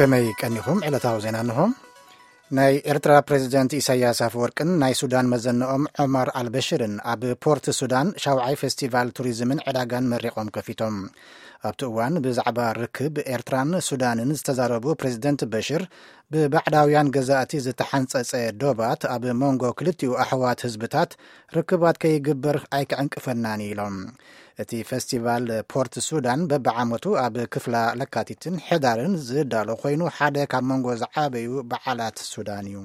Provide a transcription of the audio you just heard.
ከመይ ቀኒኹም? ዕለታዊ ዜና እንሆ። ናይ ኤርትራ ፕሬዚደንት ኢሳያስ ኣፈወርቅን ናይ ሱዳን መዘንኦም ዑመር ኣልበሽርን ኣብ ፖርት ሱዳን ሻውዓይ ፌስቲቫል ቱሪዝምን ዕዳጋን መሪቖም ከፊቶም። ኣብቲ እዋን ብዛዕባ ርክብ ኤርትራን ሱዳንን ዝተዛረቡ ፕሬዚደንት በሽር፣ ብባዕዳውያን ገዛእቲ ዝተሓንጸጸ ዶባት ኣብ መንጎ ክልቲኡ ኣሕዋት ህዝብታት ርክባት ከይግበር ኣይክዕንቅፈናን ኢሎም። እቲ ፌስቲቫል ፖርት ሱዳን በብዓመቱ ኣብ ክፍላ ለካቲትን ሕዳርን ዝዳሎ ኮይኑ፣ ሓደ ካብ መንጎ ዝዓበዩ በዓላት ሱዳን እዩ።